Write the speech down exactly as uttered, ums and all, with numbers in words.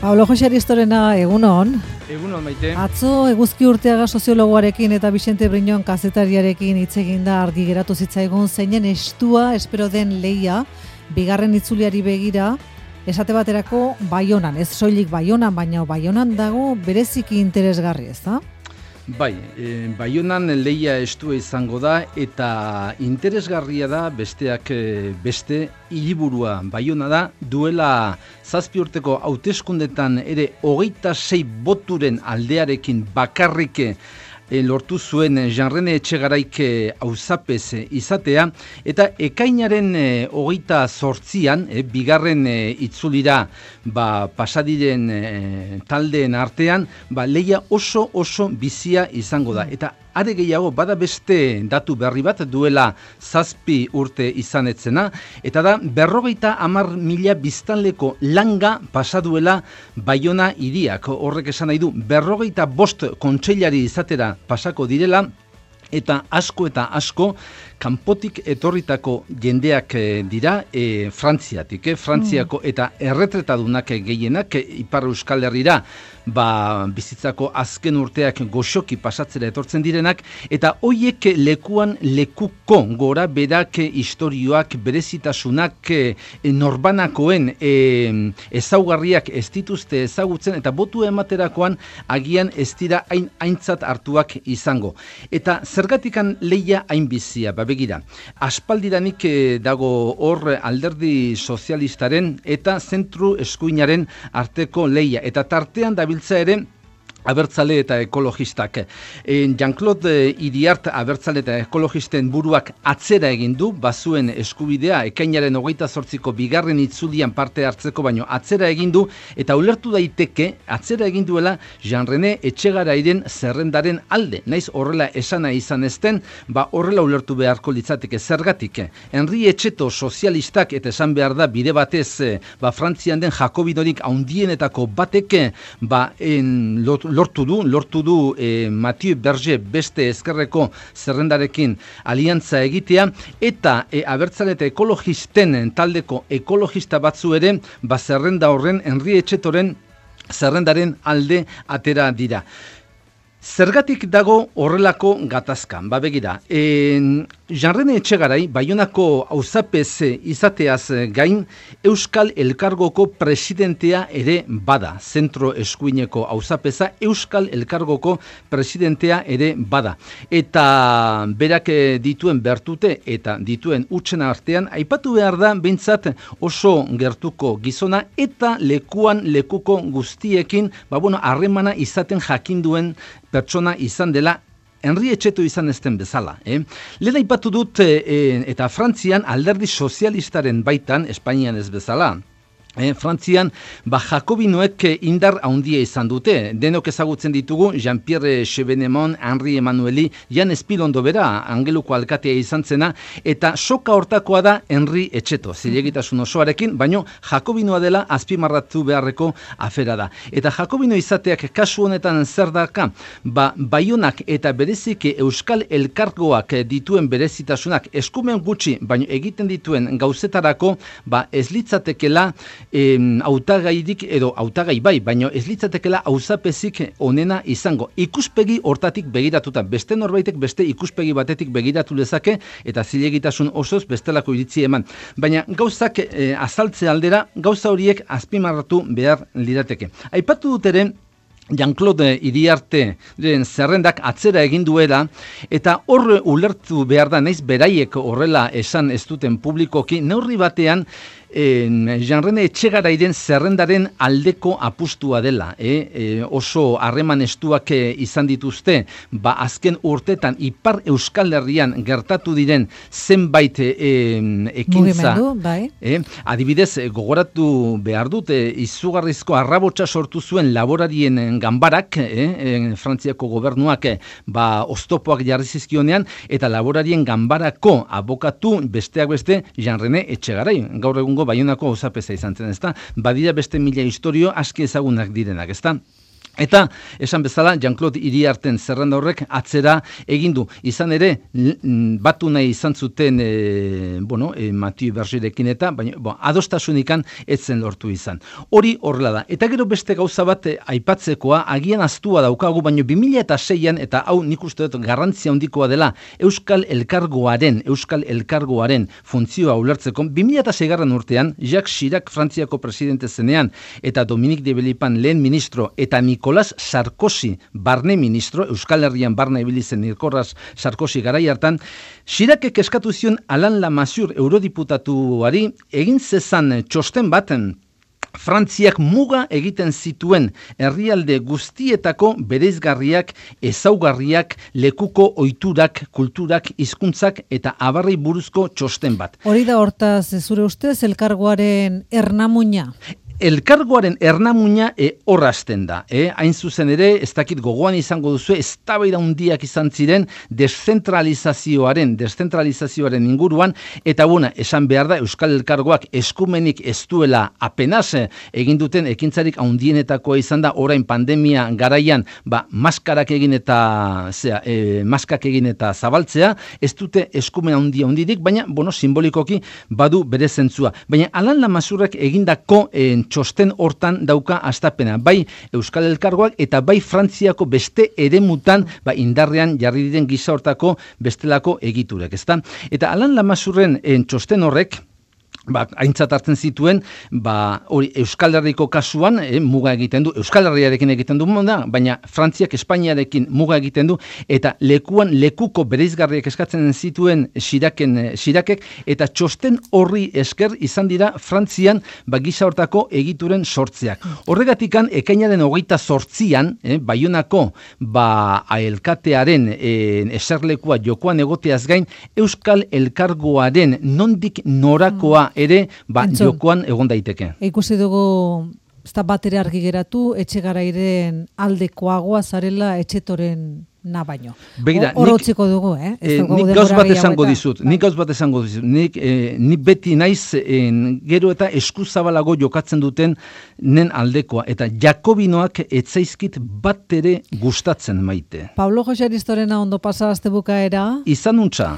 Pablo Jose Aristorena, egunon. Egunon, Maite. Atzo Eguzki Urteaga soziologoarekin eta Vicente Briñon kazetariarekin hitz egin da argi geratu zitzaigun zeinen estua espero den lehia bigarren itzuliari begira esate baterako Baionan, ez soilik Baionan, baina Baionan dago bereziki interesgarri, ezta? Bai, e, Baionan lehia estua izango da eta interesgarria da besteak beste hiriburua Baiona da duela zazpi urteko hauteskundetan ere hogeita sei boturen aldearekin bakarrik E, lortu zuen Jean-René Etxegaraik auzapez izatea, eta ekainaren e, hogeita zortzian, e, bigarren e, itzulira ba, pasadiren e, taldeen artean, ba, lehia oso oso bizia izango da. Eta are gehiago, bada beste datu berri bat duela zazpi urte izanetzena, eta da berrogeita hamar mila biztanleko langa pasaduela Baiona hiriak. Horrek esan nahi du, berrogeita bost kontseilari izatera pasako direla, eta asko eta asko kanpotik etorritako jendeak dira e, Frantziatik, eh? Frantziako eta erretretadunak gehienak e, Ipar Euskal Herrira ba, bizitzako azken urteak goxoki pasatzera etortzen direnak, eta hoiek lekuan lekuko gora berak istorioak, berezitasunak e, norbanakoen e, ezaugarriak ez dituzte ezagutzen, eta botu ematerakoan agian ez dira hain aintzat hartuak izango. Eta zergatikan lehia hain bizia, ba begira, aspaldiranik dago hor alderdi sozialistaren eta zentru eskuinaren arteko lehia, eta tartean dabiltza ere abertzale eta ekologistak. E, Jean-Claude Iriart abertzale eta ekologisten buruak atzera egin du, bazuen eskubidea ekainaren hogeita zortziko bigarren itzulian parte hartzeko, baino atzera egin du, eta ulertu daiteke atzera egin duela Jean-René Etxegarairen zerrendaren alde. Naiz horrela esana izan ezten, ba horrela ulertu beharko litzateke zergatik. Henri Etxeto sozialistak, eta esan behar da bide batez, ba Frantzian den jakobinorik haundienetako batek, ba en lot lortu du, lortu du eh, Mathieu Berger beste ezkerreko zerrendarekin aliantza egitea, eta eh, abertzale eta ekologisten taldeko ekologista batzu ere, ba zerrenda horren Henri Etxetoren zerrendaren alde atera dira. Zergatik dago horrelako gatazkan, ba begira, en, Jean-René Etxegarai, Baionako auzapez izateaz gain, Euskal Elkargoko presidentea ere bada, zentro eskuineko auzapeza, Euskal Elkargoko presidentea ere bada. Eta berak dituen bertute eta dituen utxen artean, aipatu behar da, behintzat oso gertuko gizona, eta lekuan lekuko guztiekin, ba bueno, harremana izaten jakinduen pertsona izan dela, Henri Etxeto izan ezten bezala. Eh? Lehen aipatu dut eh, eta Frantzian alderdi sozialistaren baitan, Espainian ez bezala, Eh, Frantzian, ba, jakobinoek indar handia izan dute. Denok ezagutzen ditugu, Jean-Pierre Chevènement, Henri Emmanueli, Jan Espilondo bera, Angeluko alkatea izan zena, eta soka hortakoa da Henri Etxeto, zilegitasun osoarekin, baino jakobinoa dela azpimarratu beharreko afera da. Eta jakobino izateak kasu honetan zer daka, ba, Baionak eta bereziki Euskal Elkargoak dituen berezitasunak eskumen gutxi, baino egiten dituen gauzetarako, ba, ez litzatekela hautagairik edo hautagai bai, baino ez litzatekela auzapezik onena izango. Ikuspegi hortatik begiratuta, beste norbaitek beste ikuspegi batetik begiratu lezake, eta zilegitasun osoz bestelako iritzi eman. Baina gauzak e, azaltze aldera, gauza horiek azpimarratu behar lirateke. Aipatu dut ere, Jean-Claude Iriarteren zerrendak atzera egin duela, eta hor ulertu behar da, naiz beraiek horrela esan ez duten publikoki, neurri batean Jean-René Etxegarairen zerrendaren aldeko apustua dela. Eh? E, oso harreman estuak izan dituzte, ba azken urtetan Ipar Euskal Herrian gertatu diren zenbait e, ekintza. Bai. Eh? Adibidez, gogoratu behar dut, e, izugarrizko arrabotsa sortu zuen laborarien ganbarak, eh? Frantziako gobernuak e, ba oztopoak jarri zizkionean, eta laborarien ganbarako abokatu besteak beste Jean-René Etxegarai. Gaur egungo Baionako auzapeza izan zen, ezta? Badira beste mila historio aski ezagunak direnak, ezta? Eta, esan bezala, Jean-Claude Iriarten zerrenda horrek atzera egin du. Izan ere, batu nahi izan zuten, e, bueno, e, Mathieu Bergerekin eta, baina, bo, adostasunikan etzen lortu izan. Hori horrela da. Eta gero beste gauza bat e, aipatzekoa, agian astua daukagu, baina bi mila seian, eta hau nik uste dut garrantzia handikoa dela, Euskal Elkargoaren, Euskal Elkargoaren funtzioa ulertzeko, bi mila seigarren urtean, Jacques Chirac Frantziako presidente zenean, eta Dominique de Villepin lehen ministro, eta Nicolas Sarkozy barne ministro, Euskal Herrian barna ibili zen Nicolas Sarkozy garai hartan, Chiracek eskatu zion Alain Lamassoure eurodiputatuari egin zezan txosten baten Frantziak muga egiten zituen herrialde guztietako bereizgarriak, ezaugarriak, lekuko ohiturak, kulturak, hizkuntzak eta abarrei buruzko txosten bat. Hori da hortaz, zure ustez, elkargoaren ernamuina? Elkargoaren ernamuina e, horrazten da. E, hain zuzen ere, ez dakit gogoan izango duzu, eztabaida handiak izan ziren deszentralizazioaren, deszentralizazioaren inguruan, eta bona, esan behar da, Euskal Elkargoak eskumenik ez duela apenas egin duten ekintzarik handienetakoa izan da, orain pandemia garaian, ba, maskarak egin eta, zera, e, maskak egin eta zabaltzea, ez dute eskumen handia handirik, baina, bueno, simbolikoki badu bere zentzua. Baina, Alain Lamassourek egindako en, txosten hortan dauka hastapena, bai Euskal Elkargoak eta bai Frantziako beste eremutan ba, indarrean jarri diren gisa hortako bestelako egiturek, ezta? Eta Alain Lamassourren txosten horrek, ba, aintzat hartzen zituen, ba, hori Euskal Herriko kasuan eh, muga egiten du, Euskal Herriarekin egiten du, da, baina Frantziak Espainiarekin muga egiten du, eta lekuan lekuko bereizgarriak eskatzen zituen Chiracen, Chiracek, eta txosten horri esker izan dira Frantzian ba, gisa hortako egituren sortzeak. Horregatikan, ekainaren hogeita zortzian, eh, Baionako ba, elkatearen eh, eserlekua jokoan egoteaz gain, Euskal Elkargoaren nondik norakoa ere ba, jokoan egon daiteke. Ikusi dugu ez da bat ere argi geratu, etxe garairen aldekoagoa zarela etxetoren na baino. Begira, Orotziko dugu, eh? eh nik gauz bat esango dizut, nik gauz bat esango dizut, nik, eh, nik beti naiz en, gero eta eskuzabalago jokatzen duten nen aldekoa, eta Jakobinoak etzaizkit bat ere gustatzen maite. Pablo Jose Aristorena ondo pasa aste bukaera. Izan untza.